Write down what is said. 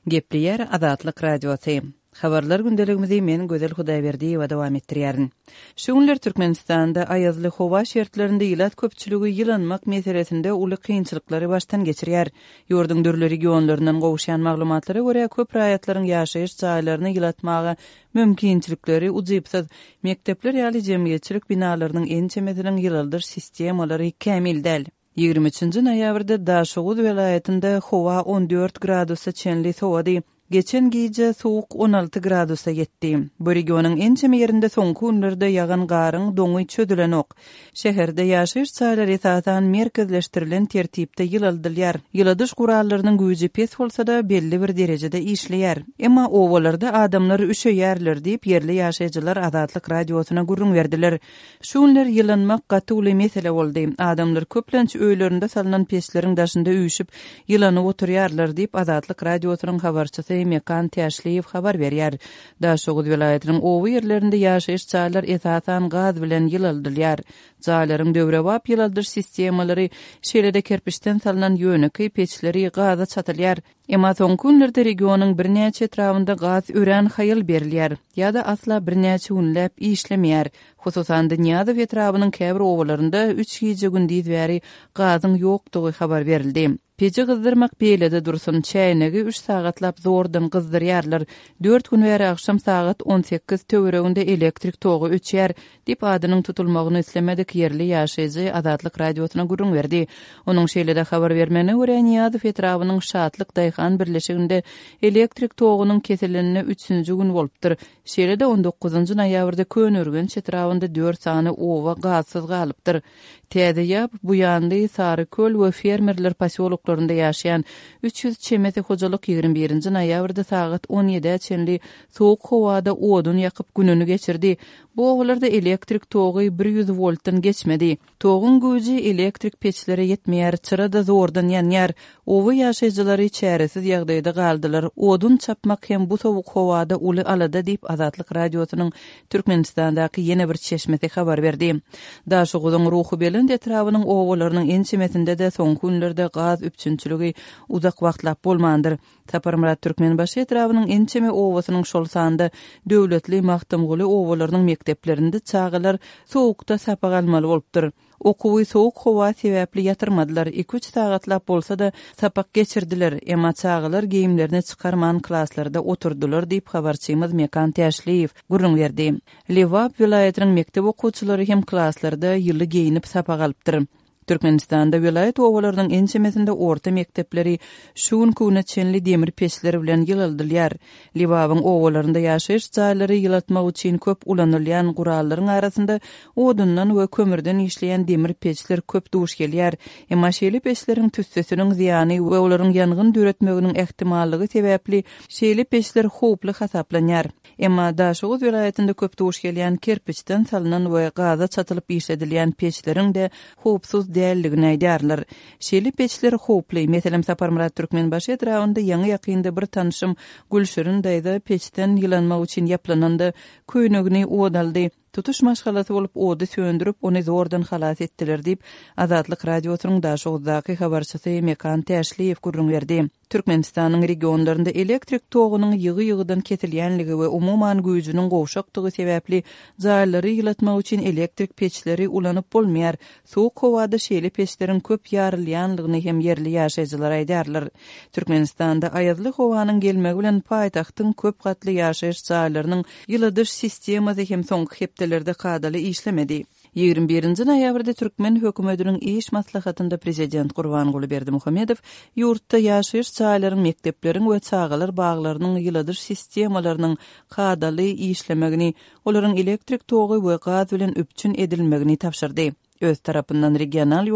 Gepleýär Azatlyk Radiosy. Habarlar gündeligimizi men Gözel Hudaýberdiýewa dowam etdirýärin. Şu günler Türkmenistanda aýazly howa şertlerinde ilat köpçüligi ýylanmak meselesinde uly kynçylyklary başdan geçirýär. Ýurduň dürli regionlaryndan gowuşýan maglumatlara görä, köp raýatlaryň ýaşaýyş jaýlaryny ýylatmaga mümkinçilikleri ujypsyz. Mekdepler ýaly jemgyýetçilik binalarynyň ençemesiniň ýylaldyş sistemalary kämil däl. 23-nji noýabrda Daşoguz welaýatynda howa 14 gradusa çenli sowady. Geçen gije sowuk 16 gradusa ýetdi. Bu regionyň ençeme ýerinde soňky günlerde ýagan garyň doňy çözülenok. Şäherde ýaşaýyş jaýlary esasan merkezleşdirilen tertipde ýylaldylýar. Ýyladyş gurallarynyň güýji pes bolsa-da, belli bir derejede işleýär. Emma obalarda adamlar üşeýärler diýip, ýerli ýaşaýjylar Azatlyk Radiosyna gürrüň berdiler. Şu günler ýylanmak gaty uly mesele boldy. Adamlar köplenç öýlerinde salnan peçleriň daşynda üýşüp, ýylanyp oturýarlar diýip, Azatlyk Radiosynyň habarçysy Mekan Täşliýew habar berýär. Daşoguz welaýatynyň oba ýerlerinde ýaşaýyş jaýlar esasan gaz bilen ýylaldylýar. Jaýlaryň döwrebap ýylaldyş sistemalary, şeýle-de kerpiçden salnan ýönekeý peçleri gaza çatylýar. Emma soňky günlerde regionyň birnäçe etrabynda gaz örän haýal berilýär ýa-da asla birnäçe günläp işlemeýär. Hususan-da, Nyýazow etrabynyň käbir obalarynda üç gije-gündiz bäri gazyň ýokdugy habar berildi. Peji gyzdyrmak beýlede dursun, çäýnegi üç sagatlap zordan gyzdyrýarlar. Dört gün bäri agşam sagat 18 töwereginde elektrik togy öçýär, diýip, adynyň tutulmagyny islemedik ýerli ýaşaýjy Azatlyk Radiosyna gürrüň berdi. Onuň şeýle-de habar bermegine görä, Nyýazow etrabynyň Şatlyk daýhan birleşiginde elektrik togunyň kesilenine üçünji gün bolupdyr. Şeýle-de on dokuzynjy noýabrda Köneürgenç etrabynda dört sany oba gazsyz galypdyr. Täze Ýap, Buýanly, Saryköl we Fermerler posýoloklarynda ýaşaýan 300 çemesi hojalyk 21-nji noýabrda sagat on ýedä çenli sowuk howada odun ýakyp gününi geçirdi. Bu obalarda elektrik togy 100 woltdan geçmedi. Toguň güýji elektrik peçlere ýetmeýär, çyra-da zordan ýanýar. Oba ýaşaýjylary çäresiz ýagdaýda galdylar. Odun çapmak hem bu sowuk howada uly alada diýip, Azatlyk Radiosynyň Türkmenistandaky ýene bir çeşmesi habar berdi. Daşoguzyň Ruhubelent etrabynyň obalarynyň ençemesinde-de soňky günlerde gaz üpjünçiligi uzak wagtlap bolmandyr. Saparmyrat Türkmenbaşy etrabynyň ençeme obasynyň, şol sanda Döwletli, Magtymguly obalarynyň mekdeplerinde çagalar sowukda sapak almaly bolupdyr. Okuwy sowuk howa sebäpli ýatyrmadylar, iki-üç sagatlap bolsa-da, sapak geçirdiler, emma çagalar geýimlerini çykarman klaslarda oturdylar diýip, habarçymyz Mekan Täşliýew gürrüň berdi. Lebap welaýatynyň mekdep okuwçylary hem klaslarda ýyly geýnip sapak alypdyr. Türkmenistanda welaýat obalarynyň ençemesinde orta mekdepleri şu günki güne çenli demir peçler bilen ýylaldylýar. Lebabyň obalarynda ýaşaýyş jaýlary ýylatmak üçin köp ulanylýan gurallaryň arasynda odundan we kömürden işleýän demir peçler köp duş gelýär. Emma şeýle peçleriň tüssesiniň zyýany we olaryň ýangyn döretmeginiň ähtimallygy sebäpli şeýle peçler howply hasaplanýar. Emma Daşoguz welaýatynda köp duş gelýän kerpiçden salnan we gaza çatylyp işledilýän peçleriň-de howpsuz däldigini aýdýarlar. Şeýle peçler howply. Meselem, Saparmyrat Türkmenbaşy etrabynda ýaňy-ýakynda bir tanşym Gülşirin daýza peçden ýylanmak üçin ýaplananda, köýnegini ot aldy. Tutuş maşgalasy bolup ody söndürip, ony zordan halas etdiler diýip, Azatlyk Radiosynyň Daşoguzdaky habarçysy Mekan Täşliýew gürrüň berdi. Türkmenistanyň regionlarynda elektrik togunyň ýygy-ýygydan kesilýänligi we umuman güýjüniň gowşakdygy sebäpli jaýlary ýylatmak üçin elektrik peçleri ulanyp bolmaýar. Sowuk howada şeýle peçleriň köp ýarylýanlygyny hem ýerli ýaşaýjylar aýdýarlar. Türkmenistanda aýazly howanyň gelmegi bilen paýtagtyň köp gatly ýaşaýyş jaýlarynyň ýyladyş sistemasy hem soňky hepdelerde kadaly işlemedi. 21-nji noýabrda türkmen hökümetiniň iş maslahatynda prezident Gurbanguly Berdimuhamedow ýurtda ýaşaýyş jaýlaryň, mekdepleriň we çagalar baglarynyň ýyladyş sistemalarynyň kadaly işlemegini, olaryň elektrik togy we gaz bilen üpjün edilmegini tabşyrdy. Öz tarapyndan regional